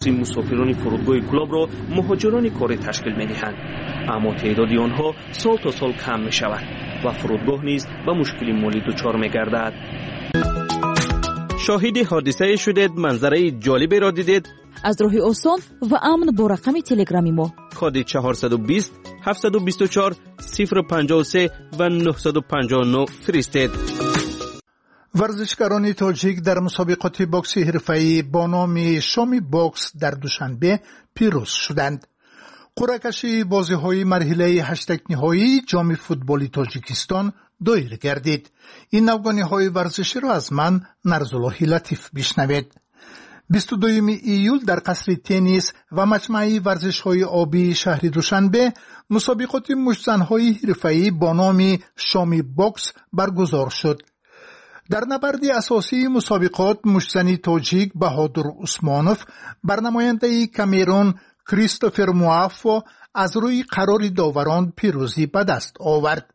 Мусофирони фурудгоҳи Кӯлобро муҳоҷирони корӣ ташкил медиҳанд, аммо теъдоди онҳо сол то сол кам мешавад ва фурудгоҳ низ ба мушкили молӣ дучор мегардад. Шоҳиди ҳодисае шудед, манзараи ҷолиберо дидед. Аз роҳи осон ва амн бо рақами телеграми мо коди 420 724 053 ва 959 фиристед. Варзишгарони тоҷик дар мусобиқоти бокси ҳирфаӣ бо номи Шоми бокс дар Душанбе пирӯз шуданд. Қуръакашии бозиҳои марҳилаи ҳаштякниҳоии Ҷоми футболи Тоҷикистон доир гардид. Ин навгониҳои варзиширо аз ман, Нарзуллоҳи Латиф, бишнавед. 22 июл дар қасри теннис ва маҷмӯаи варзишҳои обии шаҳри Душанбе мусобиқоти муштзанҳои ҳирфаӣ бо номи Шоми бокс баргузор шуд. Дар набарди асосии мусобиқот муштзани тоҷик Баҳодур Усмонов бар намояндаи Камерун Кристофер Муаффо аз рӯи қарори доварон пирӯзӣ ба даст овард.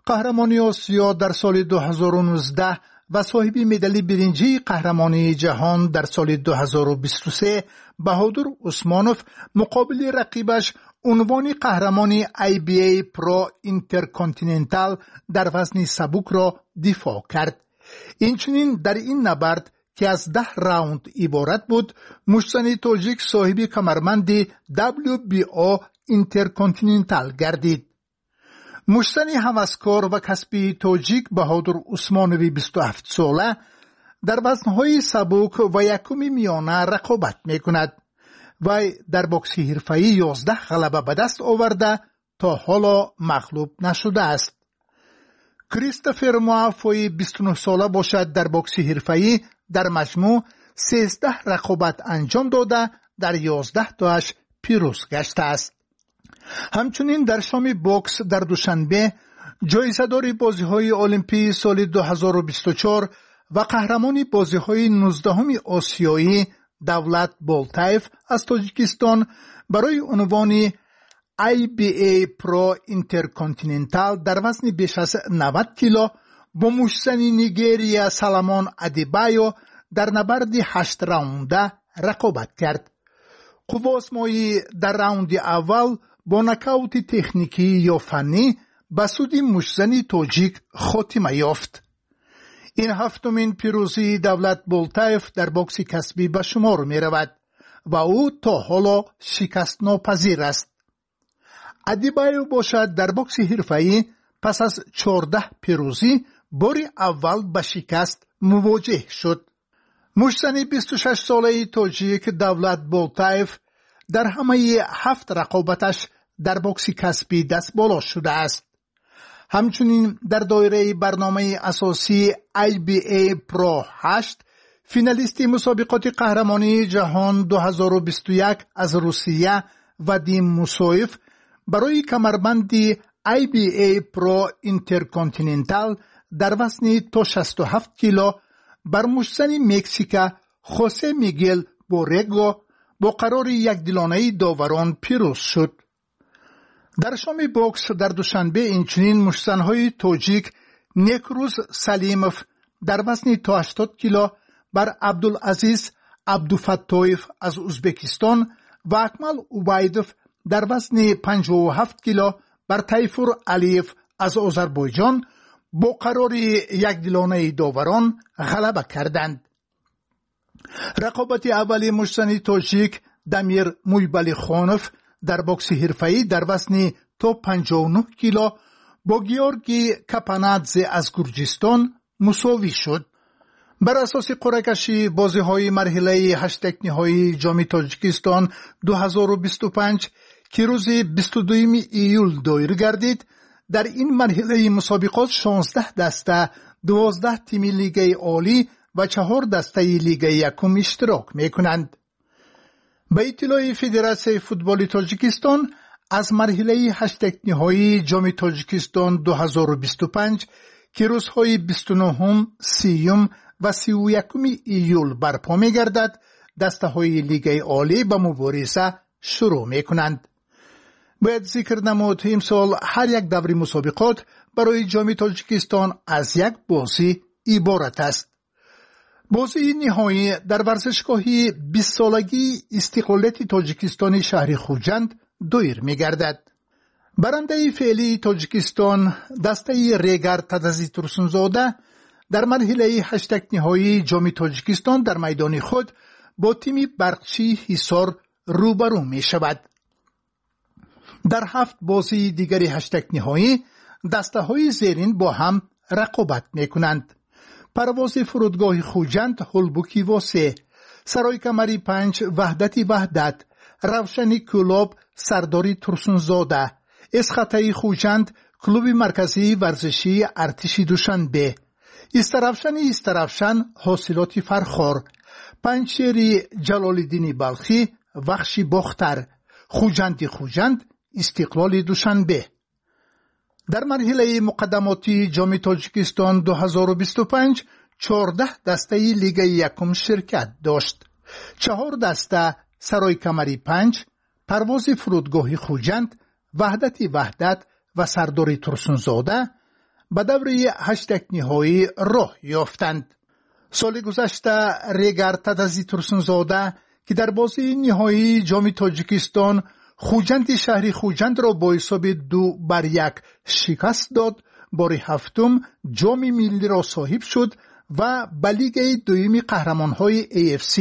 Қаҳрамони Осиё дар соли 2019 ва соҳиби медали биринҷии қаҳрамонии ҷаҳон дар соли 2023 Баҳодур Усмонов муқобили рақибаш, унвони қаҳрамони IBA Pro Intercontinental дар вазни сабукро дифоъ кард. Инчунин дар ин набард, ки аз 10 раунд иборат буд, муштзани тоҷик соҳиби камарбанди WBO Intercontinental гардид. Муштзани ҳаваскор ва касбии тоҷик Баҳодур Усмонови 27-сола дар вазнҳои сабук ва якуми миёна рақобат мекунад. Вай дар бокси ҳирфаӣ 11 ғалаба ба даст оварда, то ҳоло мағлуб нашудааст. Кристофер Муаффои 29-сола бошад, дар бокси ҳирфаӣ дар маҷмӯъ 13 рақобат анҷом дода, дар 11 тоаш пирӯз гаштааст. Ҳамчунин дар Шоми бокс дар Душанбе ҷоизадори бозиҳои Олимпии соли 2024 ва қаҳрамони бозиҳои 19-уми Осиёӣ Давлат Болтаев аз Тоҷикистон барои унвони IBA Pro Intercontinental дар вазни беш аз 90 кило бо муштзани Нигерия Саламон Адибайо дар набарди ҳаштраунда рақобат кард. Қувваозмоӣ дар раунди аввал бо нокаути техникӣ ё фаннӣ ба суди муштзани тоҷик хотима ёфт. Ин ҳафтумин пирӯзии Давлат Болтаев дар бокси касбӣ ба шумор меравад ва ӯ то ҳоло шикастнопазир аст. Адибаев бошад, дар бокси ҳирфаӣ пас аз 14 пирӯзӣ бори аввал ба шикаст мувоҷеҳ шуд. Муштзани 26-солаи тоҷик Давлат Болтаев дар ҳамаи ҳафт рақобаташ дар бокси касбӣ дастболо шудааст. Ҳамчунин дар доираи барномаи асосии IBA Pro 8 финалисти мусобиқоти қаҳрамонии ҷаҳон 2021 аз Русия Вадим Мусоев барои камарбанди IBA Pro Intercontinental дар вазни то 67 кило бар муштзани Мексика Хосе Мигел Борего бо қарори якдилонаи доварон пирӯз шуд. Дар Шоми бокс дар Душанбе инчунин муштзанҳои тоҷик Некрӯз Салимов дар вазни то 80 кило бар Абдулазиз Абдуфаттоев аз Узбекистон ва Акмал Убайдов дар вазни 57 кило бар Тайфур Алиев аз Озарбойҷон бо қарори якдилонаи доварон ғалаба карданд. Рақобати аввали муштзани тоҷик Дамир Муйбалихонов дар бокси ҳирфаӣ дар вазни то 59 кило бо Георгий Капанадзе аз Гурҷистон мусовӣ шуд. Бар асоси қуръакашии бозиҳои марҳилаи ҳаштякниҳоии Ҷоми Тоҷикистон 2025, ки рӯзи 22 июл доир гардид, дар ин марҳилаи мусобиқот 16 даста, 12 тими лигаи олӣ ва чаҳор дастаи лигаи якум иштирок мекунанд. Ба иттилои Федератсияи футболи Тоҷикистон, аз марҳилаи ҳаштякниҳоии Ҷоми Тоҷикистон 2025, ки рӯзҳои 29-ум, 30-юм ва 31-уми июл барпо мегардад, дастаҳои лигаи олӣ ба мубориза шурӯъ мекунанд. Бояд зикр намуд, имсол ҳар як даври мусобиқот барои Ҷоми Тоҷикистон аз як бозӣ иборат аст. Бозии ниҳоӣ дар варзишгоҳи бистсолагии истиқлолияти Тоҷикистони шаҳри Хуҷанд доир мегардад. Барандаи феълии Тоҷикистон, дастаи Регар Тадази Турсунзода, дар марҳилаи ҳаштякниҳоии Ҷоми Тоҷикистон дар майдони худ бо тими Барқчии Ҳисор рӯбарӯ мешавад. Дар ҳафт бозии дигари ҳаштякниҳоӣ дастаҳои зерин бо ҳам рақобат мекунанд: Парвози фурудгоҳи Хуҷанд, Ҳулбуки Восе, Саройкамари панҷ, Ваҳдати Ваҳдат, Равшани Кӯлоб, Сардори Турсунзода, Эсхатаи Хуҷанд, Клуби марказии варзишии Артиши Душанбе, Истаравшани Истаравшан, Ҳосилоти Фархор, Панҷшери Ҷалолиддини Балхӣ, Вахши Бохтар, Хуҷанди Хуҷанд, Истиқлоли Душанбе. Дар марҳилаи муқаддамотии Ҷоми Тоҷикистон 2025 14 дастаи Лигаи якум ширкат дошт. Чаҳор даста, Саройкамари панҷ, Парвози фурудгоҳи Хуҷанд, Ваҳдати Ваҳдат ва Сардори Турсунзода, ба даври ҳаштякниҳоӣ роҳ ёфтанд. Соли гузашта Регар Тадази Турсунзода, ки дар бозии ниҳоии Ҷоми Тоҷикистон Хуҷанди шаҳри Хуҷандро бо ҳисоби 2-1 шикаст дод, бори ҳафтум ҷоми миллиро соҳиб шуд ва ба Лигаи дуюми қаҳрамонҳои AFC,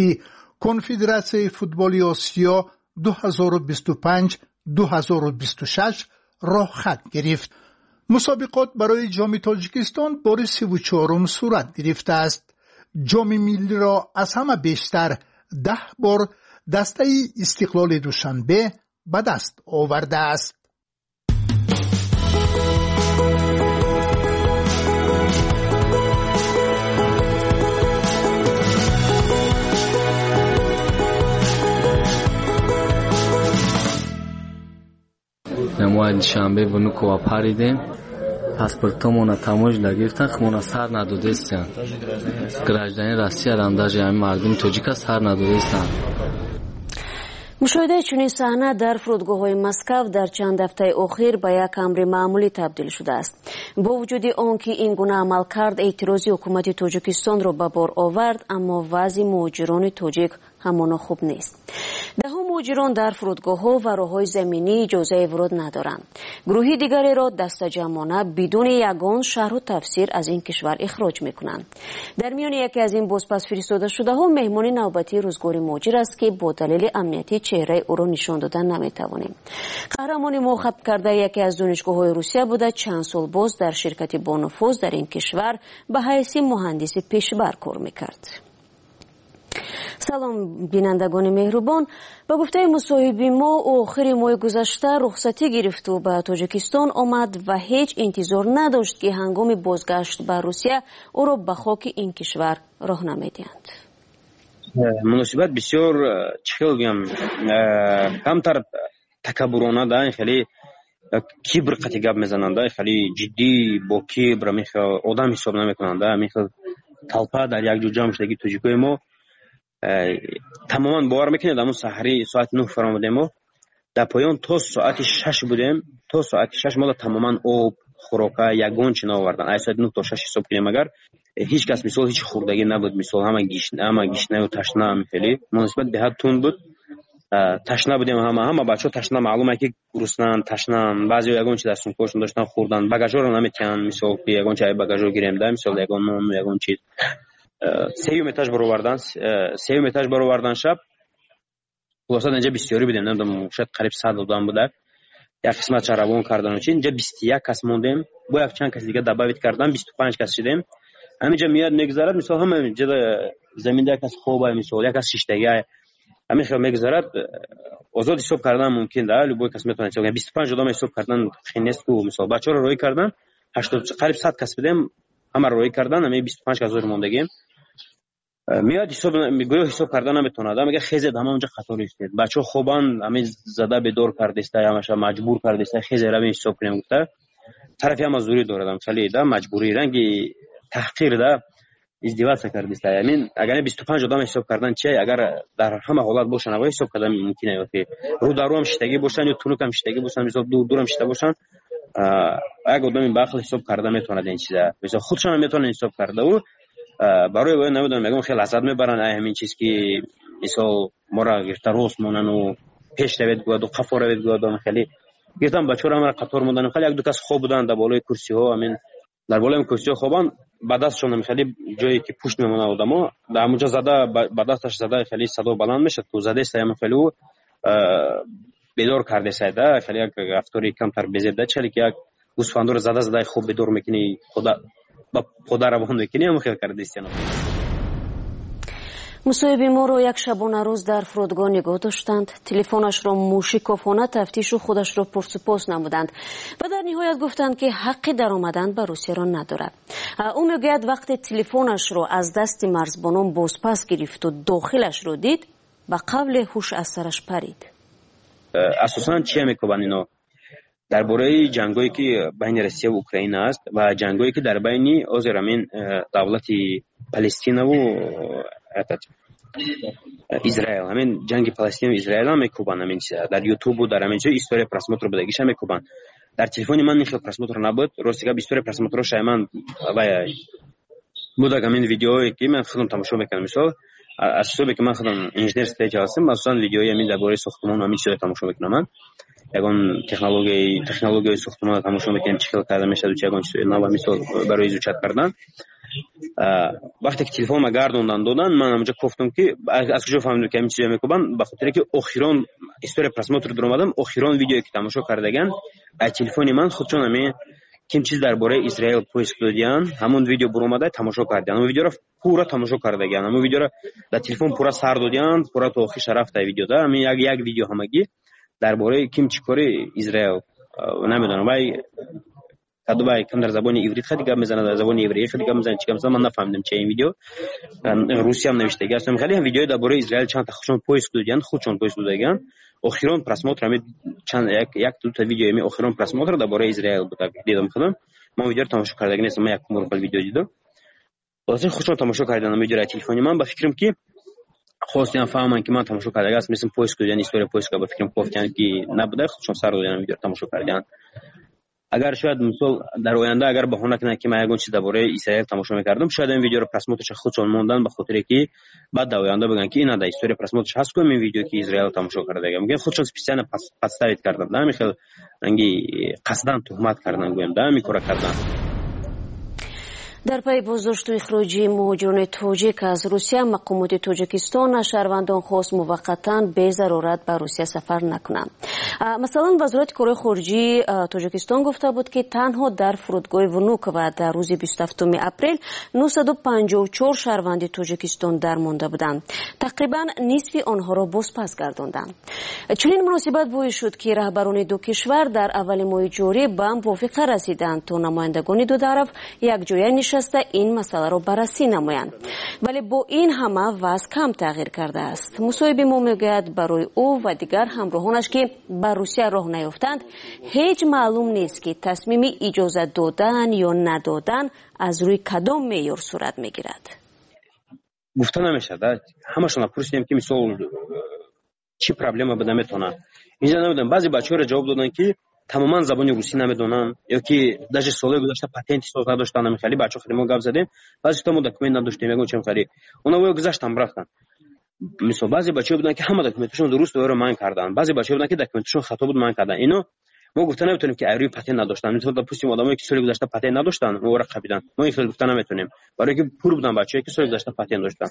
Конфедератсияи футболи Осиё 2025-2026 роҳхат гирифт. Мусобиқот барои Ҷоми Тоҷикистон бори 34-ум сурат гирифтааст. Ҷоми миллиро аз ҳама бештар, 10 бор, дастаи Истиқлоли Душанбе ба даст овардааст. Мо Душанбе Внуково паридем, паспортомона таможня гирифтан, хмона сар надодестиян. Гражданин Россиярам, даже ҳамин мардуми тоҷика сар надодестиян. Мушоҳидаи чунин саҳна дар фурудгоҳҳои Москав дар чанд ҳафтаи охир ба як амри маъмулӣ табдил шудааст. Бо вуҷуди он ки ин гуна амалкард эътирози ҳукумати Тоҷикистонро ба бор овард, аммо вазъи муҳоҷирони тоҷик ҳамоно хуб нест. Даҳо муҳоҷирон дар фурудгоҳҳо ва роҳҳои заминӣ иҷозаи вуруд надоранд. Гурӯҳи дигареро дастаҷамъона бидуни ягон шарҳу тафсир аз ин кишвар ихроҷ мекунанд. Дар миёни яке аз ин бозпас фиристодашудаҳо меҳмони навбатии рӯзгори муҳоҷир аст, ки бо далели амниятӣ чеҳраи ӯро нишон дода наметавонем. Қаҳрамони мо хатм кардаи яке аз донишгоҳҳои Русия буда, чанд сол боз дар ширкати бонуфуз дар ин кишвар ба ҳайси муҳандиси пешбар кор мекард. Салом, бинандагони меҳрубон. Ба гуфтаи мусоҳиби мо, ӯ охири моҳи гузашта рухсатӣ гирифту ба Тоҷикистон омад ва ҳеҷ интизор надошт, ки ҳангоми бозгашт ба Русия ӯро ба хоки ин кишвар роҳ намедиҳанд. Муносибат бисёр, чӣ хел гӯям, камтар такаббурона да, хеле кибр қати гап мезананд да, хеле ҷиддӣ, бо кибр, одам ҳисоб намекунанд да. Ҳамин толпа дар як ҷо ҷамъ шудаги тоҷикои мо тамоман, бовар мекунед, ҳамун саҳари соати 9 фаромадем, мо дар поён то соати 6 будем. То соати 6 мода тамоман об, хӯрока, ягон чи наовардан. Ай соати 9 то 6 ҳисоб кунем агар, ҳеҷ кас, мисол, ҳеҷ хӯрдагӣ набуд. Мисол, ҳама гишнаю ташна. Хеле муносибат беҳад тунд буд. Ташна будем ҳама бачаҳо ташна, маълум ки гуруснанд, ташнанд. Баъзео ягон чи дар сумкаҳошон доштан, хӯрдан. Багажҳоро наметиҳанд, мисол, ки ягон чи ай багажҳо гирем да, мисол, ягон нону, ягон чиз. Сеюм этаж баровардан шаб. Хулоса, инҷа бисёрӣ будем, намедонам, шояд қариб 100 одам буда. Як қисматша равон кардану чи, инҷа 21 кас мондем. Бо як чанд кас дига добавить кардан, 25 кас шудем. Ҳаминҷа меояд, мегузарад, мисол, ҳама ҷа заминда як кас хобай, мисол, як кас шиштагиай, ҳамин хел мегузарад. Озод ҳисоб кардан мумкин да, любой кас метавонад ҳисоб. 25 одам ҳисоб кардан хел нест ку. Мисол, бачаҳоро роҳӣ кардан, 80, қариб 100 кас будем, ҳамаро роҳӣ кардан, ҳамин 25 кас зор мондагем. Меояд, ҳисоб, гӯё ҳисоб карда наметавонад. Мега: «Хезед, ҳама онҷа қатор истед». Бачаҳо хобанд, ҳамин зада бедор кардеста, ҳамаша маҷбур кардеста, «Хезе, равем, ҳисоб кунем», гуфта. Тарафи ҳама зӯрӣ дорад, хеле да маҷбурӣ, ранги таҳқир да, издеваться кардеста. Ҳамин агар 25 одам ҳисоб кардан чи, агар дар ҳама ҳолат бошанд, аввал ҳисоб кардан мумкин ё ки рӯдарӯам шиштагӣ бошанд ё тунукам шиштагӣ бошанд, мисол, дур дурам шишта бошанд, як одами баақл ҳисоб карда метавонад ин чиза. Мисол, худшон метавонад ҳисоб карда. Ӯ Барои вай намедонам, ягон хел лаззат мебаранд ай ҳамин чиз, ки мисол моро гирифта рост монанду пеш равед гӯяду қафо равед гӯяду. Хеле гирифтан бачаҳоро, ҳамаро қатор мондан. Хеле як ду кас хоб буданд дар болои курсиҳо. Ҳамин дар болои курсиҳо хобанд, ба дастшон хеле ҷое ки пушт мемонад одамо, дар ҳамунҷо зада, ба дасташ зада, хеле садо баланд мешад, ку задеста ҳам хеле ӯ бедор кардесай да. Хеле як рафтори камтар безеб да, чале ки як гӯсфандоро зада зада хоб бедор мекунӣ, ба пода равон мекунӣ, ҳам хел кардестиано. Мусоҳиби моро як шабонарӯз дар фурудгоҳ нигоҳ доштанд, телефонашро мушикофона тафтишу худашро пурсупос намуданд ва дар ниҳоят гуфтанд, ки ҳаққи даромадан ба Русияро надорад. Ӯ мегӯяд, вақте телефонашро аз дасти марзбонон бозпас гирифту дохилашро дид, ба қавле ҳуш аз сараш парид. Асосан чия мекобанд ино? Дар бораи ҷангое, ки байни Россия ва Украина аст, ва ҷангое, ки дар байни ҳозир ҳамин давлати Палестинаву Израил, ҳамин ҷанги Палестину Израил ҳам мекӯбанд. Ҳамин дар Ютубу дар ҳамин ҷо история просмотр будагиша мекӯбанд. Дар телефони ман ин хел просмотр набуд, рости гап. История просмотро шай ман вай будак, ҳамин видеое, ки ман худам тамошо мекардам. Мисол, аз ҳисобе ки ман худам инженер строитель ҳастам, асосан видеои ҳамин дар бораи сохтмон, ҳамин чизро тамошо мекунам. Ман ягон технологияи сохтмонро тамошо мекунем, чӣ хел карда мешаваду чи ягон чизои нав, мисол, барои изучать кардан. Вақте ки телефонма гардондан додан, ман ҳамонҷо кофтам, ки аз куҷо фаҳмидам, ки ҳамин чизо мекӯбанд? Ба хотире ки охирон история просмотр дуромадам, охирон видеое, ки тамошо кардаган аз телефони ман, худшон ҳамин ким чиз дар бораи Израил поиск додиян, ҳамон видео буромада, тамошо кардиян. Ҳамон видеоро пурра тамошо кардагиян, ҳамон видеоро дар телефон пурра сар додиян, пурра то охир рафта видеода. Ҳамин як видео ҳамагӣ дар бораи ким чӣ кори Израил, намедонам, вай кадубай кам дар забони иврит хеле гап мезанад, дар забони евреӣ хеле гап мезанад, чӣ гап мезанад, ман нафаҳмидам, чи ин видео русиям навиштаги аст. Хеле видеои дар бораи Израил чанд худшон поиск додиян, худшон поиск додагиян. Охирон просмотр ҳами чанд як дута видео, ами охирон просмотр дар бораи Израил буд, дидам худам. Ман видеоро тамошо кардаги нестам, ман якум бор видео дидам. Хулоса, худшон тамошо кардан видеоро аз телефони ман. Ба фикрам, ки хостиям фаҳманд, ки ман тамошо кардаги аст, мисли поиск додиян, история поиска, ба фикрам, кофтиян, ки набуда, худшон сар додиян, видеоро тамошо кардиян. Агар шояд, мисол, дар оянда агар баҳона кунанд, ки ман ягон чиз дар бораи Исраил тамошо мекардам, шояд ин видеоро просмотрша худшон мондан, ба хотире ки баъд дар оянда бигӯянд, ки ина дар история просмотрш ҳаст ку ин видео, ки Израил тамошо кардага. Мумкин худшон специально подставить кардан да, ҳамин хел ранги қасдан туҳмат кардан, гӯям да, ҳамин кора кардан. Дар пайи боздошту ихроҷи муҳоҷирони тоҷик аз Русия, мақомоти Тоҷикистон аз шаҳрвандон хост муваққатан безарурат ба Русия сафар накунанд. Масалан, Вазорати корҳои хориҷии Тоҷикистон гуфта буд, ки танҳо дар фурудгоҳи Внуково дар рӯзи 27 апрел 954 шаҳрванди Тоҷикистон дармонда буданд. Тақрибан нисфи онҳоро бозпас гардонданд. Чунин муносибат боис шуд, ки раҳбарони ду кишвар дар аввали моҳи ҷорӣ ба мувофиқа расиданд, то намояндагони ду тараф якҷоя нишаста ин масъаларо баррасӣ намоянд. Вале бо ин ҳама вазъ кам тағйир кардааст. Мусоҳиби мо мегӯяд, барои ӯ ва дигар ҳамроҳонаш, ки ба Русия роҳ наёфтанд, ҳеҷ маълум нест, ки тасмими иҷозат додан ё надодан аз рӯи кадом меъёр сурат мегирад. Гуфта намешавад. Ҳамашонро пурсидем, ки мисол чӣ проблема буда метавонад инҷа, намедонам. Баъзе бачаҳоро ҷавоб доданд, ки тамоман забони русӣ намедонанд ё ки даже солҳои гузашта патенти соз надоштанд. Хеле бачаҳо, хеле мо гап задем, баъзе мо документ надоштем, ягон чем, хеле оно гузаштан, рафтанд. Мисол, баъзе бачаҳо буданд, ки ҳама документашон дуруст, оро манъ карданд. Баъзе бачаҳо буданд, ки документашон хато буд, манъ карданд. Ино мо гуфта наметавонем, ки айрӯи патент надоштанд. Мисол, допустим, одамое, ки соли гузашта патент надоштанд, ора қабиданд. Мо ин хел гуфта наметавонем, барое ки пур буданд бачаҳое, ки соли гузашта патент доштанд.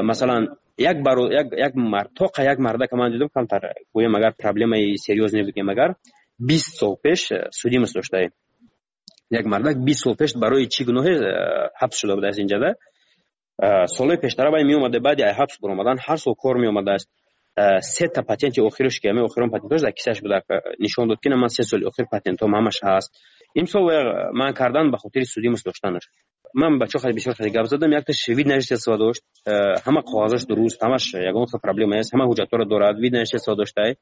Масалан, як баро як мард, тоқа як мардака ман дидам, камтар гӯем, агар проблемаи серьёзный бигем, агар 20 сол пеш судимость доштае. Як мардак 20 сол пеш барои чӣ гуноҳе ҳабс шуда будааст инҷада. Солҳои пештара вай меомада, баъди ҳабс баромадан ҳар сол кор меомадааст. Сета патенти охираш, ки ҳамин охирон патентош дар кисааш буда, нишон дод, ки на, ман 3 соли охир патентом ҳамаш ҳаст. Имсол вай манъ кардан ба хотири судимость доштанаш. Ман бачаҳо хеле бисёр хеле гап задам. Якташ вид на жительство дошт, ҳама коғазаш дуруст, ҳамаш ягон хел проблема нест, ҳама ҳуҷҷатҳоро дорад, вид на жительство доштай,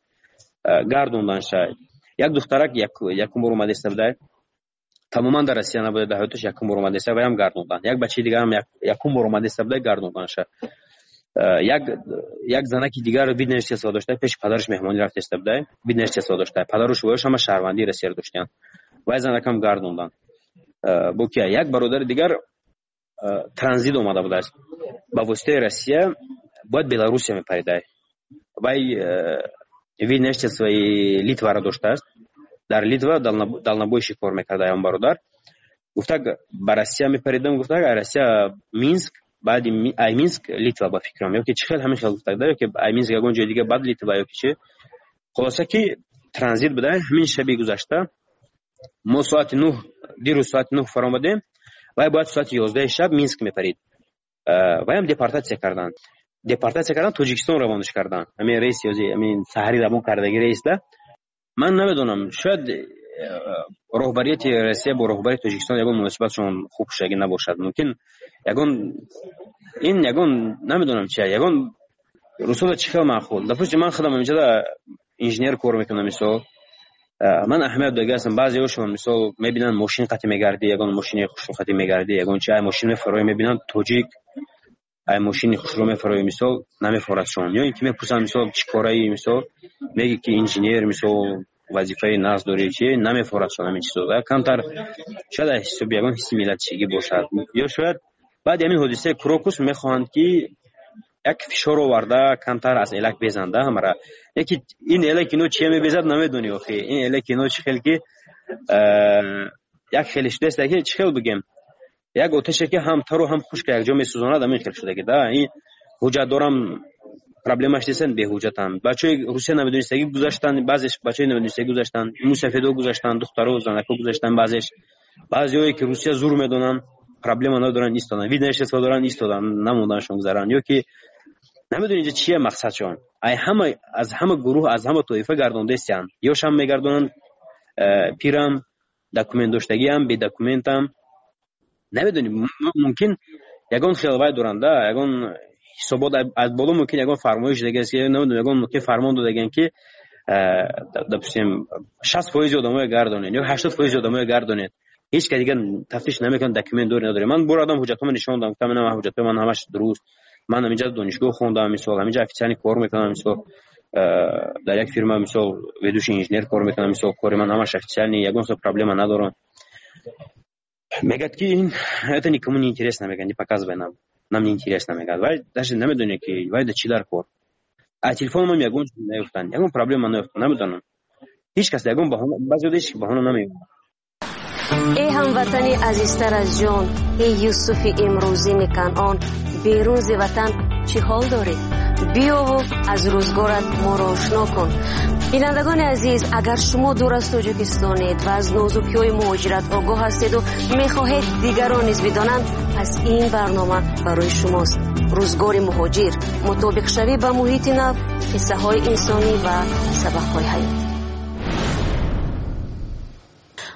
гардонданшай. Як духтарак якум бор омадаиста будай, тамоман дар Россия набуда дар ҳаёташ, якум бор омадаиста, ваям гардондан. Як бачаи дигарам якум бор омадаиста будай, гардонданша. Як занаки дигар вид на жительство дошта, пеши падараш меҳмонӣ рафтаиста будай, вид на жительство дошта, падару шувояш ҳама шаҳрвандии Россияро доштиянд, вай занакам гардондан. Бо кия, як бародари дигар Транзит омада будааст, ба воситаи Россия бояд Беларусия мепаридай. Вай вид на жительствои Литваро доштааст, дар Литва дальнобойщик кор мекарда. Он бародар гуфтак, ба Россия мепаридам, гуфтак, ай Россия Минск, баъди ай Минск Литва, ба фикрам, ё ки чӣ хел, ҳамин хел гуфтак да, ё ки ай Минск ягон ҷои дига, баъд Литва, ё ки чӣ. Хулоса ки транзит буда. Ҳамин шаби гузашта мо соати 9, дирӯз соати 9 фаромадем, вай бояд соати 11-и шаб Минск мепарид. Ваям депортатсия карданд, депортатсия кардан, Тоҷикистон равонаш карданд. Ҳамин рейс ёзи ҳамин саҳари равон кардаги рейс да. Ман намедонам, шояд роҳбарияти Россия бо роҳбарияти Тоҷикистон ягон муносибатшон хуб шудагӣ набошад. Мумкин ягон ин ягон, намедонам чи, ягон русода чӣ хел маъқул. Допустим, ман худам инҷода инженер кор мекунам, мисол, ман аҳамият додагӣ ҳастам. Баъзеҳошон, мисол, мебинанд, мошин қатӣ мегардӣ, ягон мошини хушрӯ қатӣ мегардӣ, ягон чи, ай мошин мефароӣ, мебинанд, тоҷик ай мошини хушрӯ мефароӣ, мисол, намефорадшон. Ё ин ки мепурсанд, мисол, чӣ кораи, мисол, меги ки инженер, мисол, вазифаи нағз дорӣ, чи намефорадшон ҳамин чизо. Камтар шояд аз ҳисоби ягон ҳисси миллатчигӣ бошад, ё шояд баъди ҳамин ҳодисаи Крокус мехоҳанд ки як фишор оварда, камтар аз элак безанда ҳамара. Яки ин элак ино чия мебезад, намедонӣ охи. Ин элак ино чӣ хел ки як хеле шудааст, ки чӣ хел бигем, як оташе ки ҳам тару ҳам хушка якҷо месӯзонад, ҳамин хел шудаги да. Ин ҳуҷҷат дорам, проблемаш нестан, беҳуҷҷатанд. Бачаҳои Русия намедонистагӣ гузаштанд, баъзеш бачаҳои намедонистагӣ гузаштанд, мусафедо гузаштанд, духтаро, занако гузаштанд, баъзеш. Баъзеҳое ки Русия зур медонанд, проблема надоранд, истоданд, вид на жительство доранд, истоданд, намонданашон гузаранд. Ё ки намедонӣ инҷа чия мақсадшон. Ай ҳама, аз ҳама гурӯҳ, аз ҳама тоифа гардондестиянд. Ёшам мегардонанд, пирам, документ доштагиам, бедокументам, намедонӣ. Мумкин ягон хел вай доранд да, ягон ҳисобот аз боло, мумкин ягон фармоиш дагаст, намедонам, ягон мумкин фармон додаган ки, допустим, 60% одамоя гардонед ё 80% одамоя гардонед, ҳеҷ ка дигар тафтиш намекунад, документ дори, надори. Ман бор одам ҳуҷҷатҳоро нишон додам, гуфтам, ина ҳуҷҷатҳои ман ҳамаш дуруст, ман ҳаминҷа донишгоҳ хондам, мисол, ҳаминҷа официально кор мекунам, мисол, дар як фирма, мисол, ведущий инженер кор мекунам, мисол, кори ман ҳамаш официальный, ягон хел проблема надорам. Мегӯяд ки ин это никому не интересно, мегӯяд, не показывай нам, нам не интересно, мегӯяд. Вай даже намедонед ки вай да чӣ дар кор. А телефономам ягон чиз наёфтанд, ягон проблема наёфтанд, намедонам, ҳеҷ кас ягон баҳона, баъзеҳо ҳеҷ баҳона намеёбанд. Эй ҳамватани азизтар аз ҷон, эй Юсуфи имрӯзини Канъон, берун зи ватан чӣ ҳол дорӣ? Биёву аз рӯзгорат моро ошно кун. Бинандагони азиз, агар шумо дур аз Тоҷикистонед ва аз нозукиҳои муҳоҷират огоҳ ҳастеду мехоҳед дигарон низ бидонанд, пас ин барнома барои шумост. Рӯзгори муҳоҷир, мутобиқшавӣ ба муҳити нав, қиссаҳои инсонӣ ва сабақҳои ҳаёт.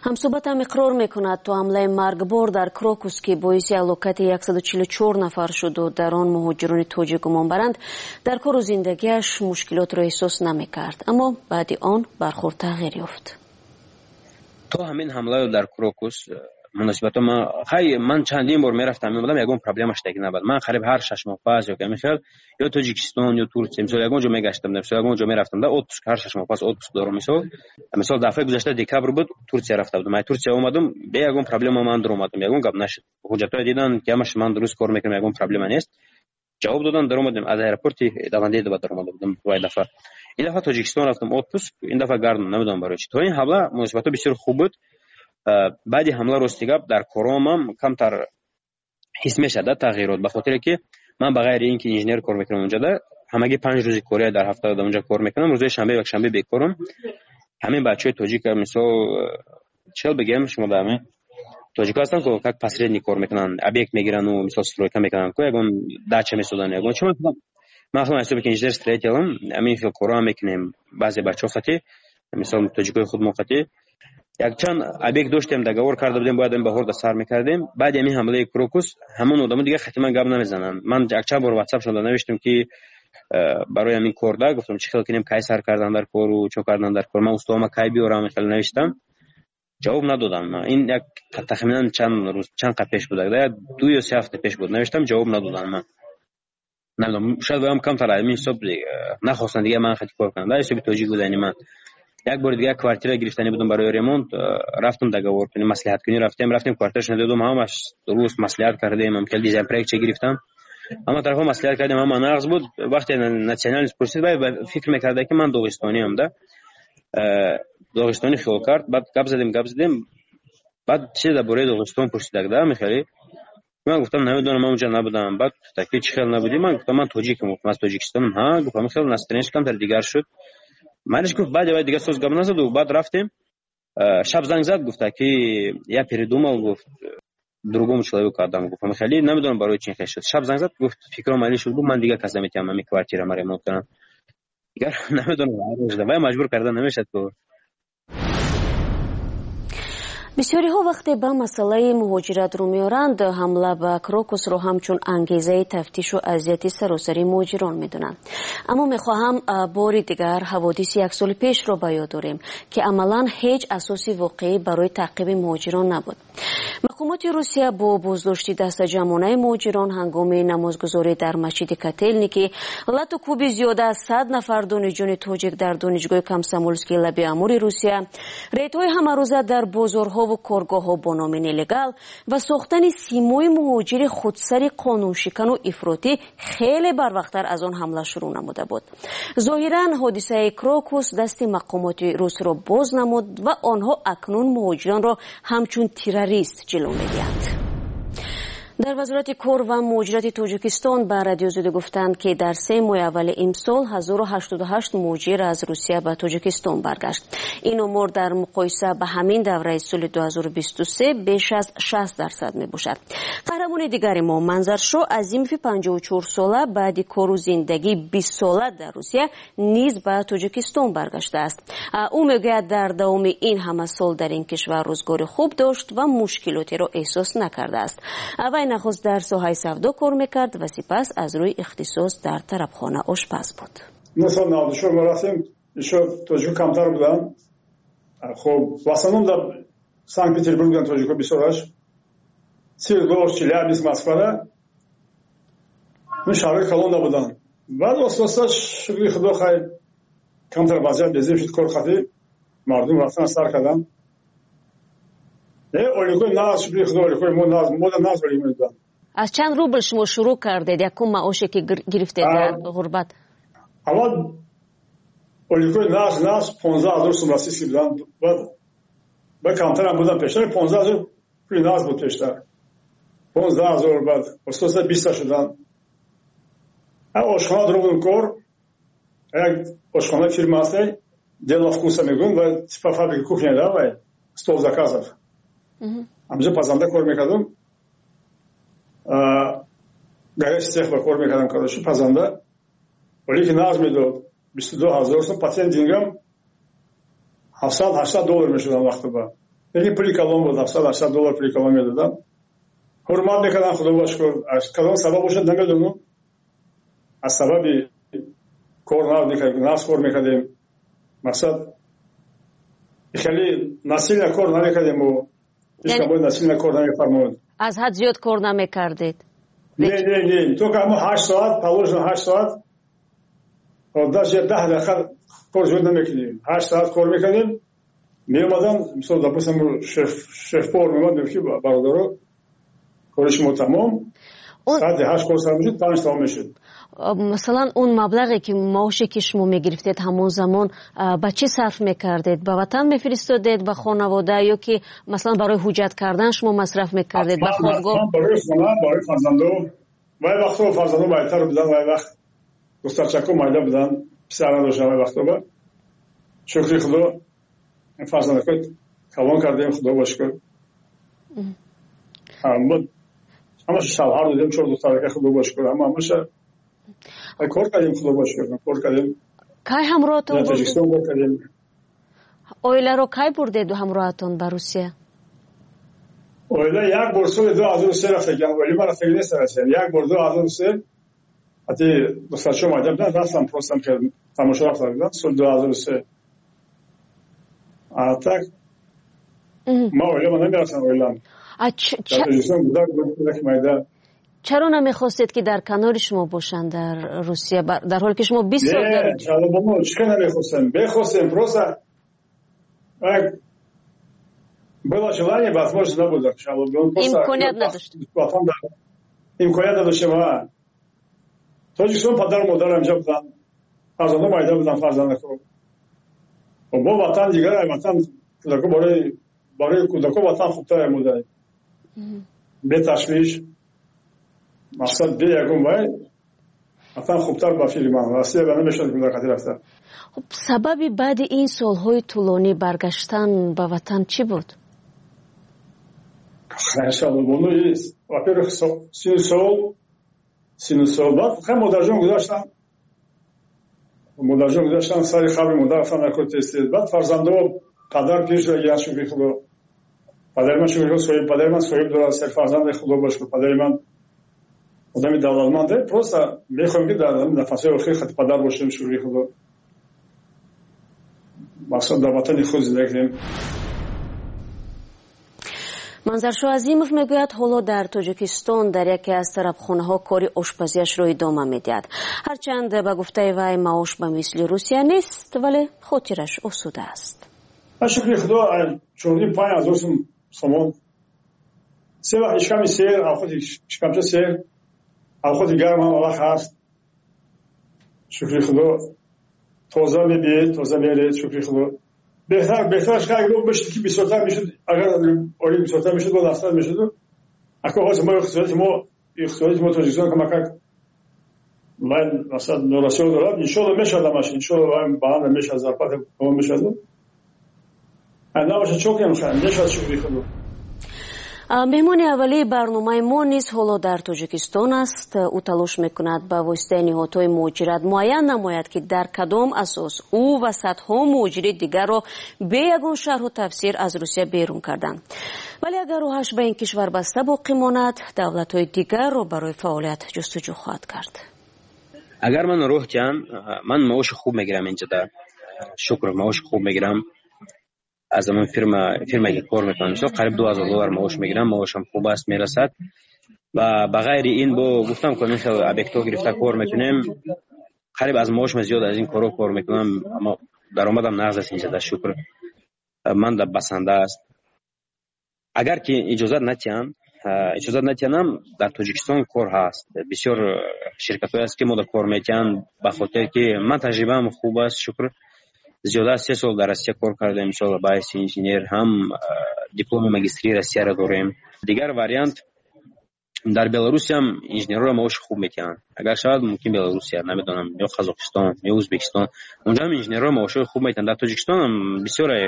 Ҳамсӯҳбатам иқрор мекунад, то ҳамлаи маргбор дар Крокус, ки боиси ҳалокати 144 нафар шуду дар он муҳоҷирони тоҷик гумонбаранд, дар кору зиндагиаш мушкилотро эҳсос намекард, аммо баъди он бархӯрд тағйир ёфт. То ҳамин ҳамлаё дар Крокус муносибатҳо ман, хай, ман чандин бор мерафтам, меомадам, ягон проблема шудаги набуд. Ман қариб ҳар 6 моҳ пас ё ҳамин хел ё Тоҷикистон, ё Турсия, мисол, ягон ҷо мегаштам, мисол, ягон ҷо мерафтам да отпуск, ҳар 6 моҳ пас отпуск дорам. Мисол, дафъаи гузашта декабр буд, Турсия рафта будам, ай Турсия омадам, бе ягон проблема ман даромадам, ягон гап нашуд. Ҳуҷҷатҳое дидан ки ҳамаш ман дуруст кор мекунам, ягон проблема нест, ҷавоб додан, даромадем. Аз аэропорти Домодедово даромада будам вай дафъа. Ин дафъа Тоҷикистон рафтам отпуск, ин дафъа гардам, намедонам барои чӣ. То ин ҳамла муносибатҳо бисёр хуб буд. Баъди ҳамла, рости гап, дар коромам камтар ҳис мешавад да тағйирот, ба хотире ки ман ба ғайри ин ки инженер кор мекунам, унҷода ҳамагӣ 5 рӯзи кория дар ҳафта дар унҷа кор мекунам, рӯзои шанбе, якшанбе бекорам. Ҳамин бачаҳои тоҷика, мисол, чел бигем, шумо да ҳамин тоҷико ҳастанд ко, как посредник кор мекунанд, объект мегирану, мисол, стройка мекунанд ко, ягон дача месозанд, ягон чи. Ман худам ҳисоби ки инженер строителам, ҳамин хел корҳоам мекунем. Баъзе бачаҳо хати, мисол, тоҷикои худмо хати якчанд объект доштем, договор карда будем, бояд баҳор да сар мекардем. Баъди ҳамин ҳамлаи Крокус ҳамон одамо дигар хати ман гап намезананд. Ман якчанд бор ватсапшонда навиштам ки барои ҳамин кор да гуфтам, чӣ хел кунем, кай сар кардан дар кору чо кардан дар кор, ман устоама кай биёрам, хеле навиштам, ҷавоб надодам. Ин як тахминан чанд рӯз, чанд қа пеш буд, 2 ё 3 ҳафта пеш буд, навиштам, ҷавоб надодам. Ман намедонам, шояд воям камтар ҳамин ҳисоб нахостанд дигар ман хати кор кунам да ҳисоби тоҷик будани ман. Як бори дига квартира гирифтанӣ будам барои ремонт, рафтам договор кунем, маслиҳат кунӣ рафтем, рафтем квартирашро додум, ҳамаш дуруст маслиҳат кардем, хеле дизайн проектча гирифтам. Ҳама тарафа маслиҳат кардем, ҳама нағз буд. Вақте национальность пурсид, вай фикр мекарда, ки ман доғистониам да. Доғистонӣ хиёл кард, баъд гап задем, гап задем. Баъд чизе дар бораи Доғистон пурсидак да, мехеле. Ман гуфтам, намедонам, ман унҷа набудам. Баъд гуфта, ки чӣ хел набудӣ? Ман гуфтам, ман тоҷикам, гуфтам, аз Тоҷикистонам. Ҳа, гуфт, ҳамин хел настроение камтар дигар шуд. Маниш гуфт, баъд вай дигар соз гап назаду, баъд рафтем. Шаб занг зад, гуфта, ки я передумал, гуфт, другому человеку отдам, гуфт. Ҳамин хеле намедонам барои чӣ хел шуд. Шаб занг зад, гуфт, фикрам али шуд, гуфт, ман дигар кас наметиҳам ҳамин квартира ма ремонт кунам. Дигар намедонам, вай маҷбур карда намешад ку. Бисёриҳо вақте ба масъалаи муҳоҷират рӯ меоранд, ҳамла ба Крокусро ҳамчун ангезаи тафтишу азияти саросари муҳоҷирон медонанд. Аммо мехоҳам бори дигар ҳаводиси як соли пешро ба ёд дорем, ки амалан ҳеҷ асоси воқеӣ барои таъқиби муҳоҷирон набуд. Мақомоти Русия бо боздошти дастаҷамъонаи муҳоҷирон ҳангоми намозгузорӣ дар масҷиди Котелники, лату кӯби зиёда аз 100 нафар донишҷӯни тоҷик дар донишгоҳи Комсомолскии лаби Амури Русия, рейдҳои ҳамарӯза дар бозорҳо ва коргоҳҳо бо номи нелегал ва сохтани симои муҳоҷири худсари қонуншикану ифротӣ хеле барвақттар аз он ҳамла шурӯъ намуда буд. Зоҳиран ҳодисаи Крокус дасти мақомоти русро боз намуд ва онҳо акнун муҳоҷиронро ҳамчун террорист ҷило медиҳанд. Дар Вазорати кор ва муҳоҷирати Тоҷикистон ба Радиои Озодӣ гуфтанд, ки дар 3 моҳи аввали имсол 1088 муҳоҷир аз Русия ба Тоҷикистон баргашт. Ин омор дар муқоиса ба ҳамин давраи соли 2023 беш аз 60% мебошад. Қаҳрамони дигари мо Манзаршо Азимови 54 сола баъди кору зиндагии 20 сола дар Русия низ ба Тоҷикистон баргаштааст. Ӯ мегӯяд, дар давоми ин ҳама сол дар ин кишвар рӯзгори хуб дошт ва мушкилотеро эҳсос накардааст. Вай нахуст дар соҳаи савдо кор мекард ва сипас аз рӯи ихтисос дар тарабхона ошпаз буд. 1994 мо рафтем, ишо тоҷико камтар буданд. Хоб, в основном дар Санкт-Петербург буданд тоҷико бисёраш. Свердловск, Челябинск, Москвада. Ну, шаҳрҳои калонда буданд. Баъд оста-оста, шукри Худо, хай камтар вазъият безеб шуд, кор қатӣ мардум рафтан сар карданд. Оликои нағз, шукри Худо, оликои мо нағз, мода нағз олик медоданд. Аз чанд рубл шумо шурӯъ кардед? Якум маоше ки гирифтед дар ғурбат? Аввал оликои нағз, нағз 15 000 сум российский буданд. Баъд камтарам буданд пештар, 15 000 пули нағз буд пештар. 15 000, баъд оста-оста 20 шуданд. Ошхона дурӯғ кор, як ошхона фирма ҳасте, Дело вкуса мегӯям, ва типа фабрика кухня да, вай стол заказов. Ҳамҷо пазанда кор мекардам. Горячий цех ба кор мекардам, короче, пазанда. Вале ки нағз медод, 22 000 сум, по тем деньгам 700-800 доллар мешудам вақти ба. Лекин пули калон буд, 700-800 доллар пули калон медодам. Ҳурмат мекардам, Худо ба шукр. Аз кадом сабаб бошад, намедонам. Аз сабаби кор нағз кор мекардем. Мақсад хеле насильно кор намекардем мо. Ҳеҷ кас насильно кор намефармуд. Аз ҳад зиёд кор намекардед? Не, не, не. Только ҳамо 8 соат, положено 8 соат. Даже 10 дақиқа кор зиёд намекунем. 8 соат кор мекардем. Меомадам, мисол, допустим, шеф-повар меомад, мегуфт, ки бародаро, кори шумо тамом. Соати 8 кор сар мешуд, 5 тамом мешуд. Масалан, он маблағе ки маоше ки шумо мегирифтед ҳамон замон ба чӣ сарф мекардед? Ба ватан мефиристодед, ба хонавода, ё ки масалан барои ҳуҷҷат кардан шумо масраф мекардед, ба хобгоҳ? Барои хона, барои фарзандо. Вай вақтҳо фарзандо байтар буданд, вай вақт духтарчако майда буданд, писар надоштанд вай вақтҳо. Шукри Худо, фарзандако калон кардем, Худо ба шукр. Ҳамаша шавҳар додем, 4 духтарака, Худо ба шукр, ҳамаша кор кардем, Худо ба шукр, кор кардем. Кай ҳамроҳатон бурдед? Тоҷикистон кор кардем. Оиларо кай бурдед ҳамроҳатон ба Русия? Оила як бор соли 2003 рафтагиам, оила ман рафтаги нест Россия. Як бор 2003 ҳатти духтарчаҳо майда буданд, рафтам, просто тамошо рафта будам соли 2003. А так ман оилама намерафтам, оилам. Тоҷикистон кӯдак майда. Чаро намехостед, ки дар канори шумо бошанд дар Русия, дар ҳоле ки шумо 20 сол дар? Чӣ намехостем? Бехостем, просто Было желание, возможность набуд. Имконият надошт. Имконият надоштем. Тоҷикистон падару модарам инҷа буданд, фарзандон майда буданд, фарзандако. Бо ватан дигар, ватан кӯдако барои кӯдако ватан хубтар мудай. Бе ташвиш, мақсад бе ягон вай, ватан хубтар ба фикри ман. Россия ба намешавад кӯдакати рафта. Хуб, сабаби баъди ин солҳои тӯлонӣ баргаштан ба ватан чӣ буд? Во-первых, 30 сол, баъд хай модарҷон гузаштан, модарҷон гузаштан, сари қабри модар рафтан накор тез-тез. Баъд фарзандо, падар пир шуда гиян, шукри Худо. Падари ман, шукри Худо, соҳиб, падари ман соҳиб дорад, се фарзанди, Худо ба шукр, падари ман одами давлатманде. Просто мехоҳем, ки дар нафасҳои охир хати падар бошем, шукри Худо. Мақсад дар ватани худ зиндагӣ кунем. Манзаршоҳ Азимов мегӯяд, ҳоло дар Тоҷикистон дар яке аз тарабхонаҳо кори ошпазиашро идома медиҳад. Ҳарчанд ба гуфтаи вай маош ба мисли Русия нест, вале хотираш осуда аст. Шукри Худо, 4,5 ҳазор сум сомон. Се вақт ишками сер, авқоти шикамча сер, авқоти гарм ҳам вақт ҳаст. Шукри Худо, тоза мебиед, тоза меред, шукри Худо. Беҳтар, беҳтараш агар бишд, ки бисёртар мешуд, агар оли бисёртар мешуд, боз афзал мешуд. Ако ҳозир мо иқтисодияти мо Тоҷикистон камакак ман масалан норасиё дорад, иншоалло мешавад ҳамаш, иншоалло баланд мешавад, зарплата мешавад. Набошад, чо кунем, мешавад, шукри Худо. Меҳмони аввалии барномаи мо низ ҳоло дар Тоҷикистон аст. Ӯ талош мекунад ба воситаи ниҳодҳои муҳоҷират муайян намояд, ки дар кадом асос ӯ ва садҳо муҳоҷири дигарро бе ягон шарҳу тафсир аз Русия берун карданд. Вале агар роҳаш ба ин кишвар баста боқӣ монад, давлатҳои дигарро барои фаъолият ҷустуҷӯ хоҳад кард. Агар ман роҳ диҳам, ман маоши хуб мегирам инҷода, шукр, маоши хуб мегирам аз ҳамон фирма, ки кор мекунам. Мисол, қариб 2000 доллар маош мегирам, маошам хуб аст, мерасад. Ва ба ғайри ин, бо гуфтам, ки хел объектҳо гирифта кор мекунем, қариб аз маошам зиёд аз ин корҳо кор мекунам, аммо даромадам нағз аст инҷода, шукр, ман да басанда аст. Агар ки иҷозат натиҳам, иҷозат натиҳанам, дар Тоҷикистон кор ҳаст, бисёр ширкатҳое ҳаст, ки мо да кор метиҳанд, ба хотире ки ман таҷрибаам хуб аст, шукр, зиёда аз 3 сол дар Россия кор кардем, мисол, ба ҳайси инженер, ҳам дипломи магистрии Россияро дорем. Дигар вариант, дар Беларусиям инженерҳоро маоши хуб метиҳанд. Агар шавад, мумкин Беларусия, намедонам, ё Қазоқистон, ё Ӯзбекистон, унҷоам инженерҳоро маошҳои хуб метиҳанд. Дар Тоҷикистонам бисёре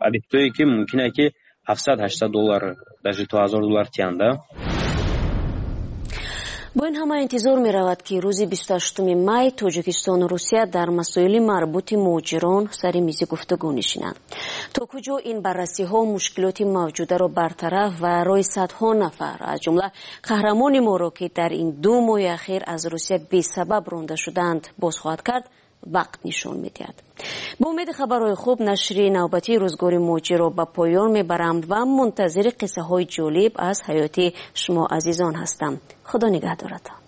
объектҳое, ки мумкине, ки 700, 800 доллар, даже то 1000 доллар тиҳанда. Бо ин ҳама интизор меравад, ки рӯзи 28 май Тоҷикистону Русия дар масоили марбути муҳоҷирон сари мизи гуфтугӯ нишинанд. То куҷо ин баррасиҳо мушкилоти мавҷударо бартараф ва роҳи садҳо нафар, аз ҷумла қаҳрамони моро, ки дар ин 2 моҳи ахир аз Русия бесабаб ронда шудаанд, боз хоҳад кард, вақт нишон медиҳад. Бо умеди хабарҳои хуб нашри навбатии Рӯзгори муҳоҷирро ба поён мебарам ва мунтазири қиссаҳои ҷолиб аз ҳаёти шумо азизон ҳастам. Худо нигаҳдоратон.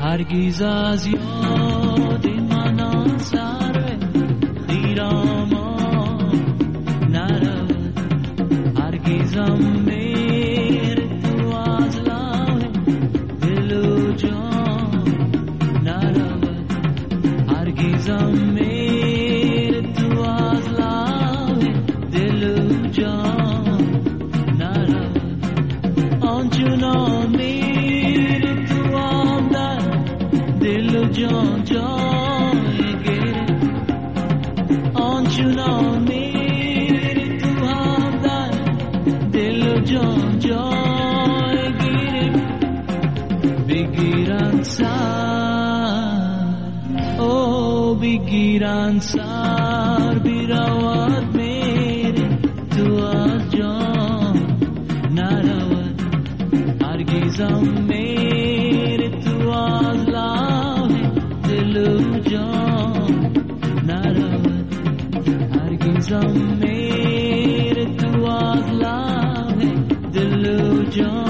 Ҳаргиз аз ёди ман он сарв хиромон наравад, ҳаргизам меҳри ту аз лавҳи дилу ҷон наравад, ҳаргизам меҳри ту аз лавҳи дилу ҷон наравад. Он чунон меҳри ту дар дилу ҷон ҷой гирифт, он чунон меҳри ту ҳам дар дилу ҷон ҷой гирифт. Бигиранд сар, о бигиранд сар, биравад, меҳри ту аз ҷон наравад, ҳаргизам меҳри ту аз лавҳи дилу ҷон наравад, ҳаргизам. Азизам, мер ту аз лаб дилу ҷон.